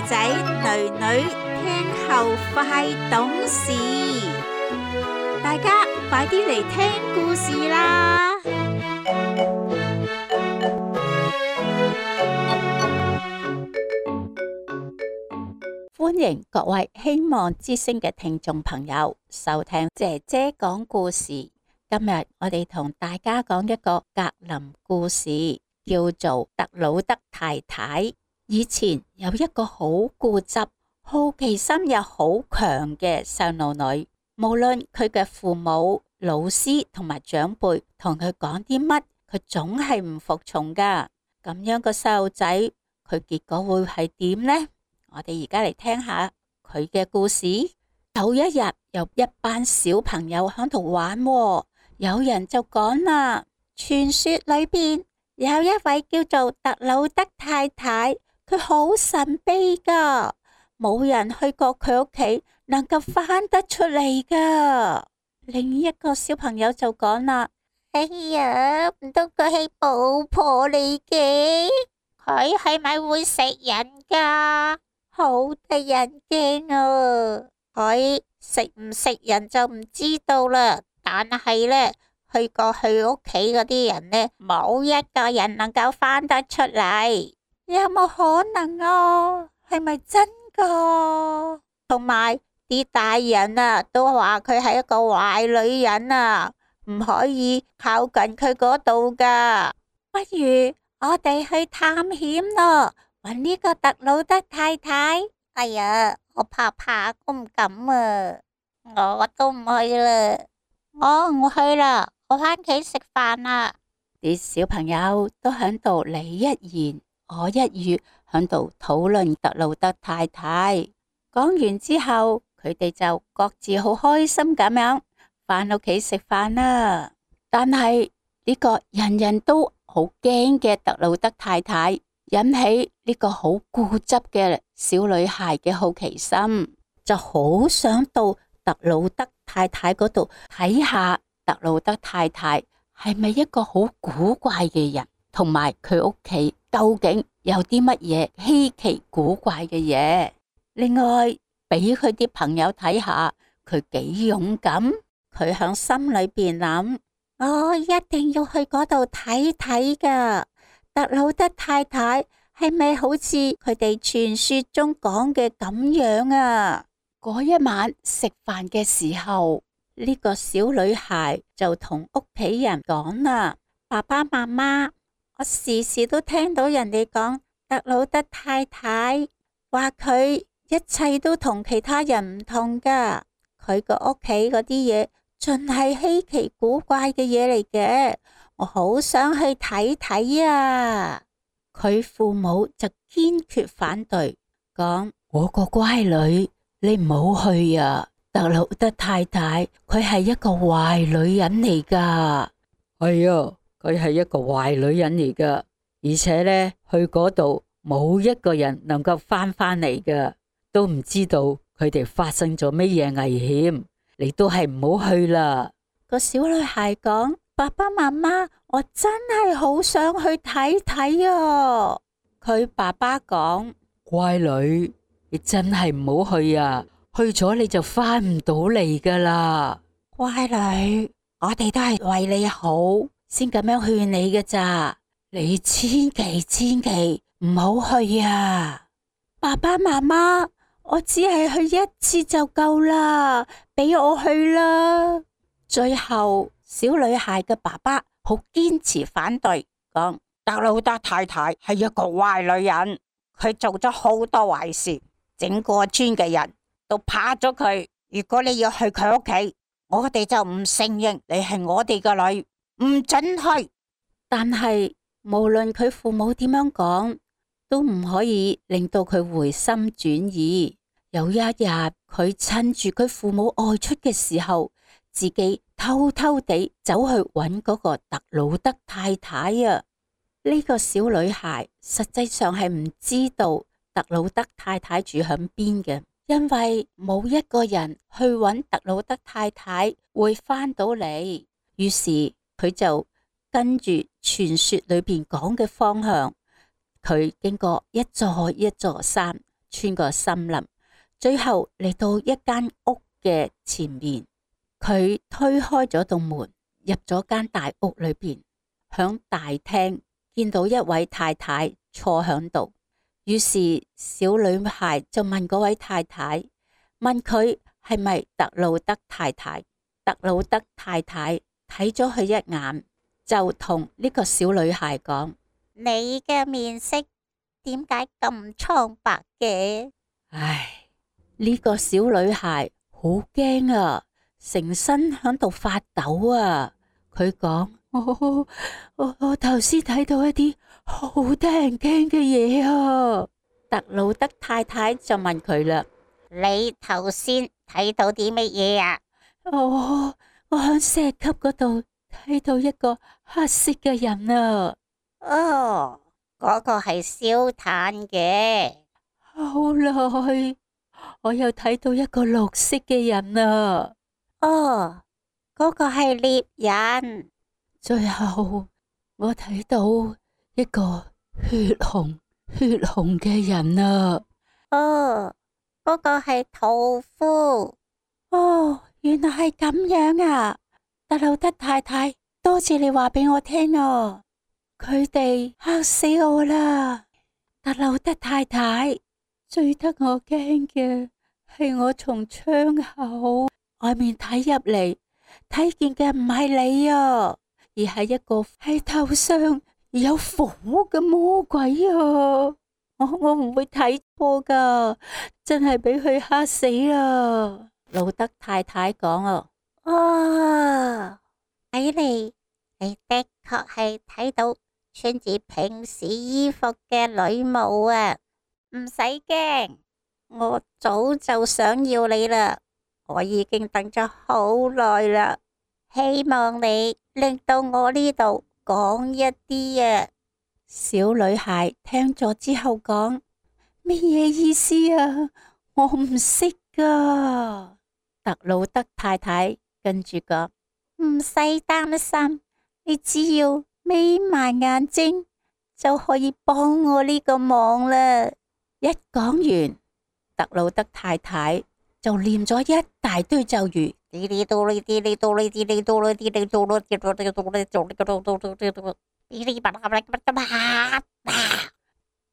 仔仔女女聽後快懂事，大家快啲嚟聽故事啦！歡迎各位希望之聲嘅聽眾朋友收聽姐姐講故事。今日我哋同大家講一個格林故事，叫做特魯德太太。以前有一個好固執、好奇心又好強嘅細路女，無論佢嘅父母、老師同埋長輩同佢講啲乜，佢總係唔服從噶。咁樣個細路仔，佢結果會係點呢？我哋而家嚟聽下佢嘅故事。有一日，有一班小朋友喺度玩喎，有人就講啦，傳說裏邊有一位叫做特魯德太太，佢好神秘噶，冇人去過佢屋企能夠翻得出嚟噶。另一個小朋友就講啦，哎呀，唔通佢係巫婆嚟嘅？佢係咪會食人噶？好得人驚啊！佢食唔食人就唔知道啦。但係呢，去過佢屋企嗰啲人呢，冇一個人能夠翻得出嚟。有冇可能啊？係咪真噶？同埋啲大人啊，都話佢係一個壞女人啊，唔可以靠近佢嗰度噶。不如我哋去探險咯，搵呢個特魯德太太。哎呀，我怕，我唔敢啊。我都唔去啦。我唔去啦，我返屋企食飯啦。啲小朋友都響度你一言我一語，響度討論特魯德太太。講完之後，佢哋就各自好開心咁樣返屋企食飯啦。但係呢個人人都好驚嘅特魯德太太，引起呢個好固執嘅小女孩嘅好奇心，就好想到特魯德太太嗰度睇下特魯德太太係咪一個好古怪嘅人，同埋佢屋企究竟有啲乜嘢稀奇古怪嘅嘢。另外俾佢啲朋友睇下佢幾勇敢，佢響心裏邊諗，我一定要去嗰度睇睇噶。特魯德太太係咪好似佢哋傳說中講嘅咁樣啊？嗰一晚食飯嘅時候，呢個小女孩就同屋企人講啦，爸爸媽媽，我時時都聽到人哋講特魯德太太，話佢一切都同其他人唔同噶，佢個屋企嗰啲嘢盡係稀奇古怪嘅嘢嚟嘅，我好想去睇睇啊！佢父母就堅決反對，講，我個乖女，你唔好去啊！特魯德太太佢係一個壞女人嚟噶。係啊，佢係一個壞女人嚟噶，而且呢，去嗰度冇一個人能夠翻嚟噶，都唔知道佢哋發生咗乜嘢危險，你都係唔好去啦。個小女孩講，爸爸媽媽，我真係好想去睇睇啊！佢爸爸講，乖女，你真係唔好去啊！去咗你就翻唔到嚟噶啦。乖女，我哋都係為你好先咁樣勸你嘅咋，你千祈唔好去啊！爸爸媽媽，我只係去一次就夠啦，俾我去啦。最後小女孩嘅爸爸好堅持反對，講，特魯德太太係一個壞女人，佢做咗好多壞事，整個村嘅人都怕咗佢。如果你要去佢屋企，我哋就唔承認你係我哋嘅女，唔准去。但係無論佢父母點樣講，都唔可以令到佢回心轉意。有一日，佢趁住佢父母外出嘅時候，自己偷偷地走去揾嗰個特魯德太太啊！呢個小女孩實際上係唔知道特魯德太太住響邊嘅，因為冇一個人去揾特魯德太太會翻到嚟。於是佢就跟住傳說裏邊講嘅方向，佢經過一座一座山，穿過森林，最後嚟到一間屋嘅前面。佢推開咗道門，入咗間大屋裏邊，響大廳見到一位太太坐響度。於是小女孩就問嗰位太太，問佢係咪特魯德太太。特魯德太太睇咗佢一眼，就同呢個小女孩講：你嘅面色點解咁蒼白嘅？唉，呢個小女孩好驚啊，成身響度發抖啊。佢講：我頭先睇到一啲好得人驚嘅嘢啊。特魯德太太就問佢啦：你頭先睇到啲乜嘢啊？我響石級嗰度睇到一個黑色嘅人啊。哦，嗰個係燒炭嘅。後來我又睇到一個綠色嘅人啊。哦，嗰個係獵人。最後我睇到一個血紅嘅人啊。哦，嗰個係屠夫。哦，原來係咁樣啊！特魯德太太，多謝你話俾我聽啊！佢哋嚇死我啦！特魯德太太，最得我驚嘅係我從窗口外面睇入嚟，睇見嘅唔係你啊，而係一個喺頭上有火嘅魔鬼啊！我唔會睇錯噶，真係俾佢嚇死啦！魯德太太講啊，睇嚟你的確係睇到穿住平時衣服嘅女巫啊！唔使驚，我早就想要你啦，我已經等咗好耐啦，希望你令到我呢度講一啲啊！小女孩聽咗之後講：乜嘢意思啊？我唔識噶。特魯德太太跟住講：唔使擔心，你只要眯埋眼睛就可以幫我呢個忙啦。一講完，特魯德太太就念咗一大堆咒語。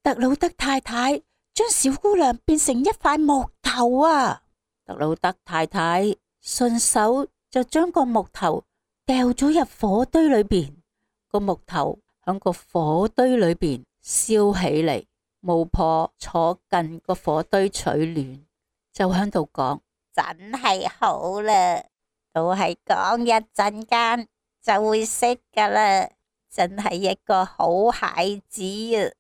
特魯德太太將小姑娘變成一塊木頭啊！特魯德太太順手就將個木頭掉咗入火堆裏邊，個木頭響個火堆裏邊燒起嚟。巫婆坐近個火堆取暖，就響度講：真係好啦，都係講一陣間就會識噶啦，真係一個好孩子啊！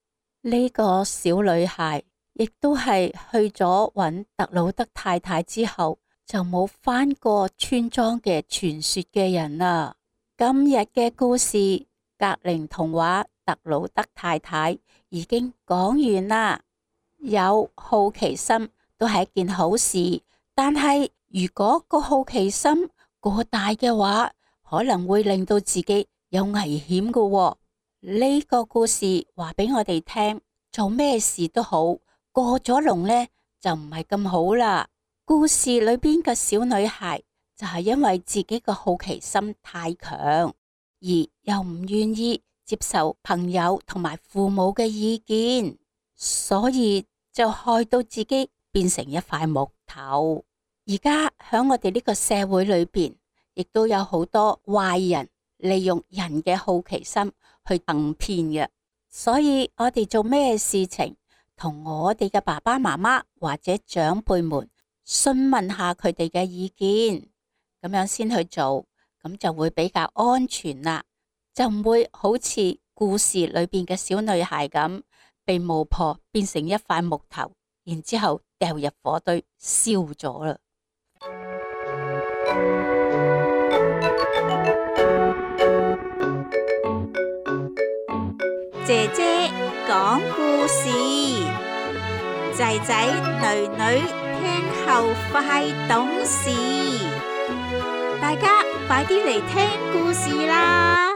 呢個小女孩亦都係去咗揾特魯德太太之後，就冇返過村莊嘅傳說嘅人啦。今日嘅故事格林童話特魯德太太已經講完啦。有好奇心都係一件好事，但係如果個好奇心過大嘅話，可能會令到自己有危險㗎喎。呢個故事話俾我哋聽，做咩事都好，過咗龍呢就唔係咁好啦。故事裏邊嘅小女孩就係因為自己個好奇心太強，而又唔願意接受朋友同埋父母嘅意見，所以就害到自己變成一塊木頭。而家喺我哋呢個社會裏邊，亦都有好多壞人利用人嘅好奇心去行騙嘅，所以我哋做咩事情，同我哋嘅爸爸媽媽或者長輩們詢問下佢哋嘅意見，咁樣先去做，咁就會比較安全啦，就唔會好似故事裏邊嘅小女孩咁，被巫婆變成一塊木頭，然之後掉入火堆燒咗啦。姐姐講故事，仔仔女女聽後快懂事，大家快啲嚟聽故事啦！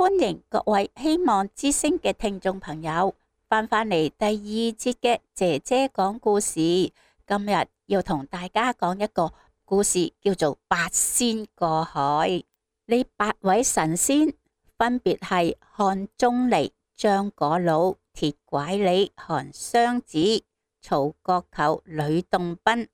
歡迎各位希望之聲嘅聽眾朋友翻返嚟第二節嘅姐姐講故事。今日要同大家講一個故事，叫做八仙過海。呢八位神仙分別係漢鍾離、張果老、鐵拐李、韓湘子、曹國舅、呂洞賓、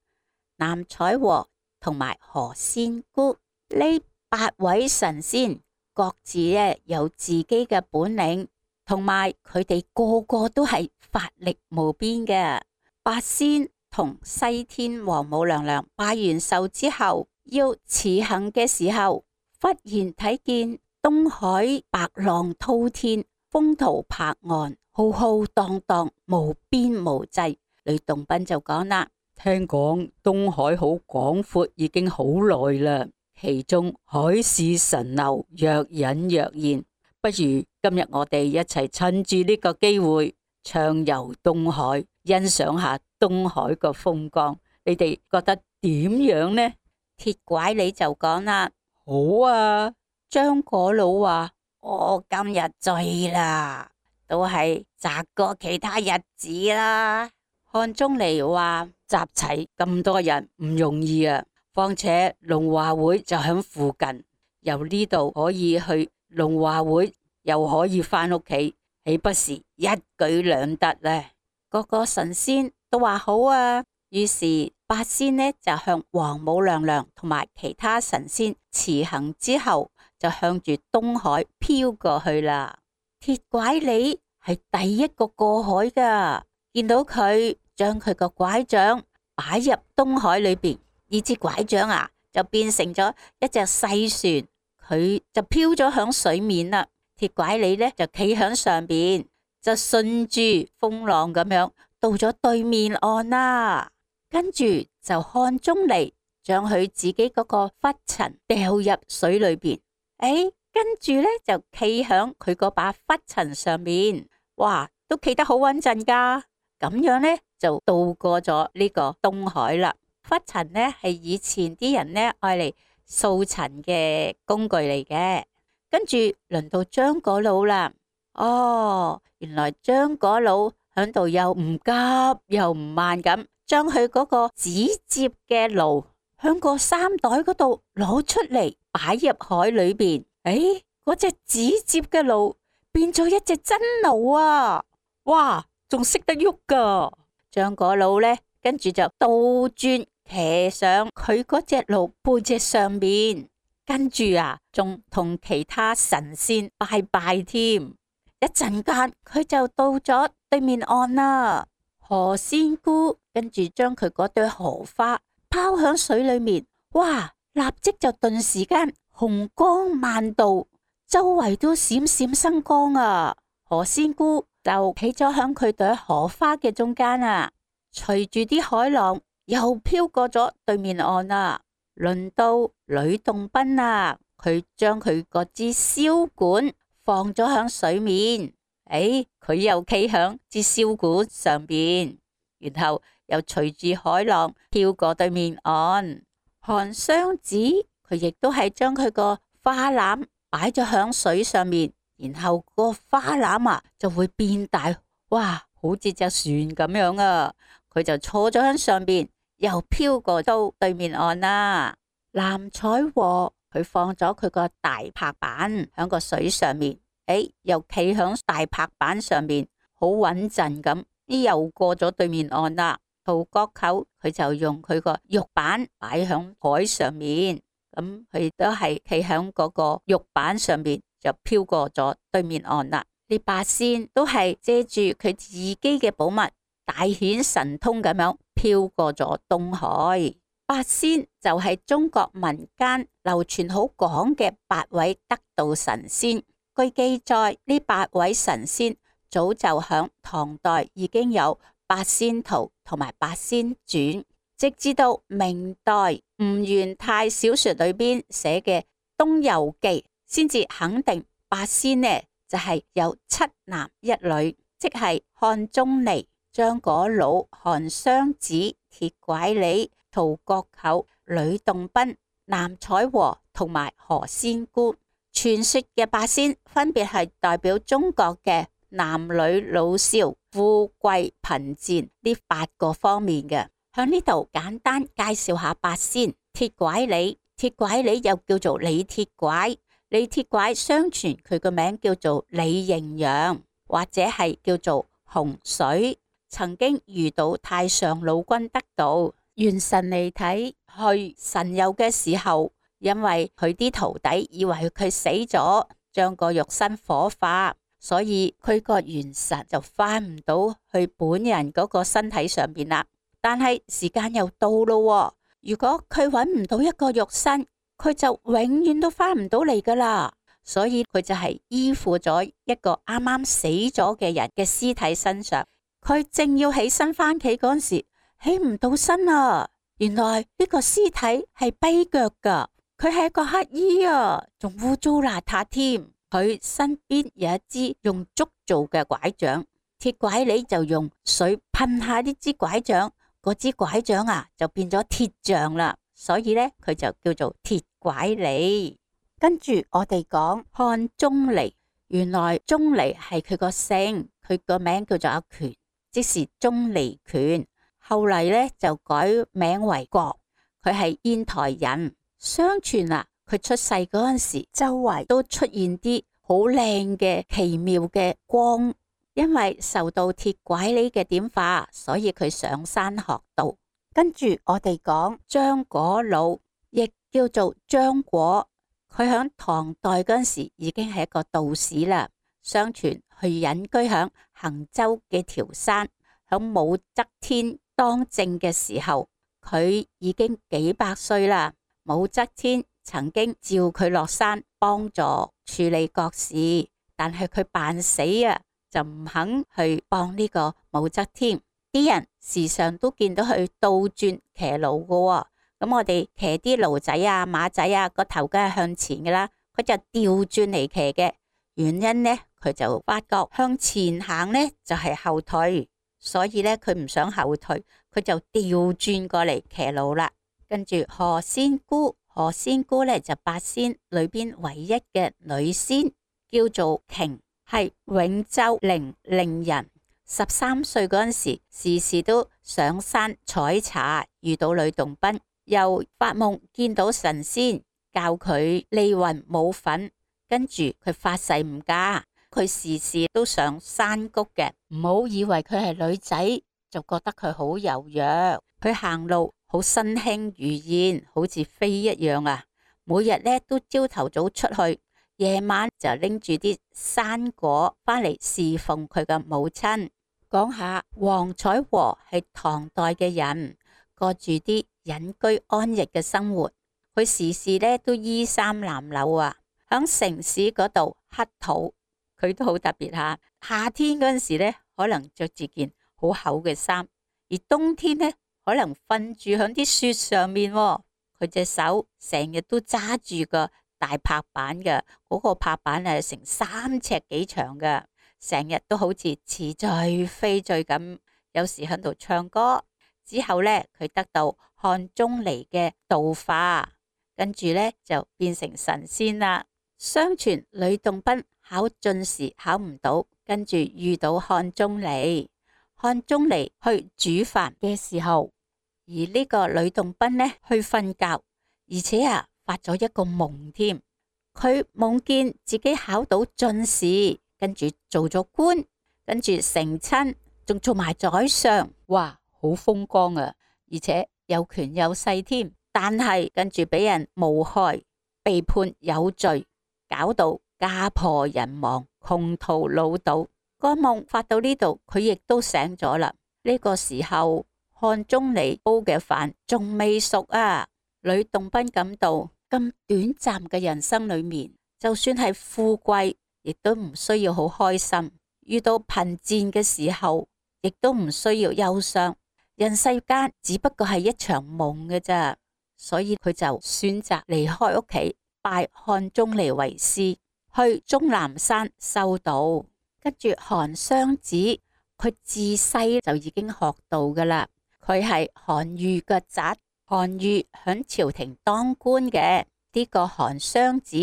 南彩和同埋何仙姑。呢八位神仙各自有自己嘅本領，同埋佢哋個個都係法力無邊嘅。八仙同西天王母娘娘拜完壽之後，要辭行嘅時候，忽然睇見東海白浪滔天，風濤拍岸，浩浩蕩蕩，無邊無際。呂洞賓就講啦：聽講東海好廣闊，已經好耐啦。其中海市蜃樓，若隱若現。不如今日我哋一齊趁住呢個機會暢遊東海，欣賞下東海個風光。你哋覺得點樣呢？鐵拐李就講啦：好啊。張果老話：我今日醉啦，都係擇過其他日子啦。漢鍾離話：集齊咁多人唔容易啊，況且龍華會就喺附近，由呢度可以去龍華會，又可以翻屋企，豈不是一舉兩得呢？個個神仙都話好啊，於是八仙呢就向王母娘娘同埋其他神仙辭行之後，就向住東海飄過去啦。鐵拐李係第一個過海噶，見到佢將佢個拐杖擺入東海裏邊，呢支拐杖啊就變成咗一隻細船，佢就飄咗響水面啦。鐵拐李呢就企響上邊，就順住風浪咁樣到咗對面岸啦。跟住就漢鍾離將佢自己嗰個拂塵掉入水裏邊，跟住呢就企響佢嗰把拂塵上面，哇，都企得好穩陣噶。咁樣呢就渡過咗呢個東海啦。拂塵呢係以前啲人呢愛嚟掃塵嘅工具嚟嘅。跟住輪到張果老啦。哦，原來張果老響度又唔急又唔慢咁，將佢嗰個紙接嘅爐響個衫袋嗰度攞出嚟，擺入海裏邊。嗰隻紙接嘅爐變咗一隻真爐啊！哇，仲識得喐噶！張果老呢，跟住就倒轉騎上佢嗰隻爐背脊上面，跟住啊，仲同其他神仙拜拜添。一陣間佢就到咗對面岸啦。何仙姑跟住將佢嗰對荷花拋響水裏面，哇！立即就頓時間紅光萬道，周圍都閃閃生光啊！何仙姑就企咗響佢對荷花嘅中間啊，隨住啲海浪又飄過咗對面岸啦。輪到呂洞賓啊，佢將佢嗰支簫管放咗響水面，佢又企響支簫管上邊，然後又隨住海浪飄過對面岸。韓湘子佢亦都係將佢個花籃擺咗響水上面，然後個花籃啊就會變大，哇，好似隻船咁樣啊！佢就坐咗喺上邊，又飄過到對面岸啦。南彩和佢放咗佢個大拍板響個水上面，又企響大拍板上面，好穩陣咁，又過咗對面岸啦。曹國舅佢就用佢個玉板擺響海上面，咁佢都係企響嗰個玉板上面，就飄過咗對面岸啦。呢八仙都係借住佢自己嘅寶物，大顯神通咁樣飄過咗東海。八仙就係中國民間流傳好廣嘅八位得道神仙。據記載，呢八位神仙早就響唐代已經有八仙圖同埋八仙傳，直至到明代吳元泰小說裏邊寫嘅《東遊記》，先至肯定八仙呢就係有七男一女，即係漢鍾離、張果老、韓湘子、鐵拐李、曹國舅、呂洞賓、南彩和同埋何仙姑。傳說嘅八仙分別係代表中國嘅男女老少、富貴貧賤呢8個方面嘅。喺呢度簡單介紹下八仙。鐵拐李，鐵拐李又叫做李鐵拐。李鐵拐相傳佢個名叫做李認陽，或者係叫做洪水。曾經遇到太上老君得道，元神嚟睇去神遊嘅時候，因為佢啲徒弟以為佢死咗，將個肉身火化，所以佢個元神就翻唔到去本人嗰個身體上邊啦。但係時間又到咯，如果佢揾唔到一個肉身，佢就永遠都翻唔到嚟噶啦。所以佢就係依附咗一個啱啱死咗嘅人嘅屍體身上。佢正要起身翻企嗰時，起唔到身啊！原來呢個屍體係跛腳噶，佢係一個乞衣啊，仲污糟邋遢添。佢身邊有一支用竹做嘅拐杖，鐵拐李就用水噴下呢支拐杖，嗰支拐杖啊就變咗鐵杖啦。所以呢，佢就叫做鐵拐李。跟住我哋講漢鍾離，原來鍾離係佢個姓，佢個名叫做阿權，即是鍾離權。後嚟呢就改名為郭，佢係煙台人。相傳啊，佢出世嗰陣時，周圍都出現啲好靚嘅奇妙嘅光，因為受到鐵拐李嘅點化，所以佢上山學道。跟住我哋講張果老，亦叫做張果，佢響唐代嗰陣時已經係一個道士啦。相傳佢隱居響衡州嘅條山，響武則天當政嘅時候，佢已經幾百歲啦。武則天曾經召佢落山幫助處理國事，但係佢扮死啊，就唔肯去幫呢個武則天。啲人時常都見到佢倒轉騎驢嘅，咁我哋騎啲驢仔啊、馬仔啊，個頭梗係向前嘅啦，佢就調轉嚟騎嘅。原因呢，佢就發覺向前行呢就係後退。所以咧，佢唔想後退，佢就調轉過嚟騎驢啦。跟住何仙姑，何仙姑咧就八仙裏邊唯一嘅女仙，叫做瓊，係永州零陵人。13歲嗰陣時，時時都上山採茶，遇到呂洞賓，又發夢見到神仙，教佢利雲舞粉，跟住佢發誓唔嫁。佢時時都上山谷嘅，唔好以為佢係女仔就覺得佢好柔弱。佢行路好身輕如燕，好似飛一樣啊！每日咧都朝頭早出去，夜晚就拎住啲山果翻嚟侍奉佢嘅母親。講下黃彩和係唐代嘅人，過住啲隱居安逸嘅生活。佢時時咧都衣衫襤褸啊，響城市嗰度乞討。佢都好特別吓，夏天嗰陣時咧，可能着住件好厚嘅衫，而冬天咧，可能瞓住響啲雪上面。佢隻手成日都揸住個大拍板嘅，嗰個拍板係成3尺幾長嘅，成日都好似似醉非醉咁。有時喺度唱歌。之後咧，佢得到漢鍾離嘅度化，跟住咧就變成神仙啦。相傳呂洞賓考進士考唔到，跟住遇到漢鍾離。漢鍾離去煮飯嘅時候，而呢個呂洞賓呢去瞓覺，而且發咗一個夢添。佢夢見自己考到進士，跟住做咗官，跟住成親，仲做埋宰相，哇，好風光啊！而且有權有勢添。但係跟住俾人誣害，被判有罪。搞到家破人亡，窮途潦倒。個夢發到呢度，佢亦都醒咗啦。呢個時候，漢鍾離煲嘅飯仲未熟啊。呂洞賓感到咁短暫嘅人生裏面，就算係富貴，亦都唔需要好開心；遇到貧賤嘅時候，亦都唔需要憂傷。人世間只不過係一場夢嘅啫，所以佢就選擇離開屋企，拜漢鍾離為師，去終南山修道。跟住韓湘子，佢自細就已經學道噶啦。佢係韓愈嘅侄，韓愈響朝廷當官嘅。呢個韓湘子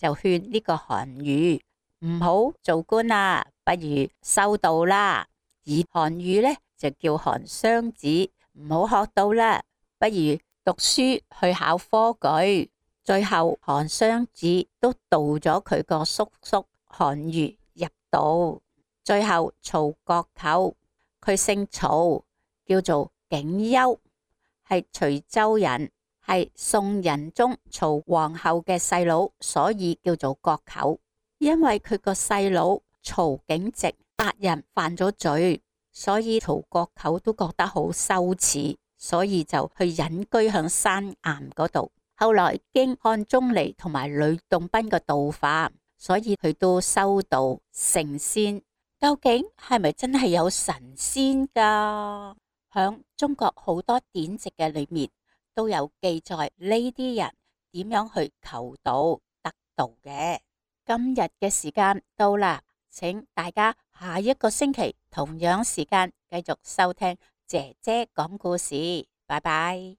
就勸呢個韓愈唔好做官啦，不如修道啦。而韓愈呢，就叫韓湘子唔好學道啦，不如讀書去考科舉。最後韓湘子都導咗佢個叔叔韓愈入道。最後曹國舅，佢姓曹，叫做景丘，係徐州人，係宋仁宗曹皇后嘅細佬，所以叫做國舅。因為佢個細佬曹景直殺人犯咗罪，所以曹國舅都覺得好羞恥，所以就去隱居響山岩嗰度。後來經漢鍾離同埋呂洞賓嘅導化，所以佢都修道成仙。究竟係咪真係有神仙噶？響中國好多典籍嘅裏面都有記載呢啲人點樣去求道得道嘅。今日嘅時間到啦，請大家下一個星期同樣時間繼續收聽姐姐講故事。拜拜。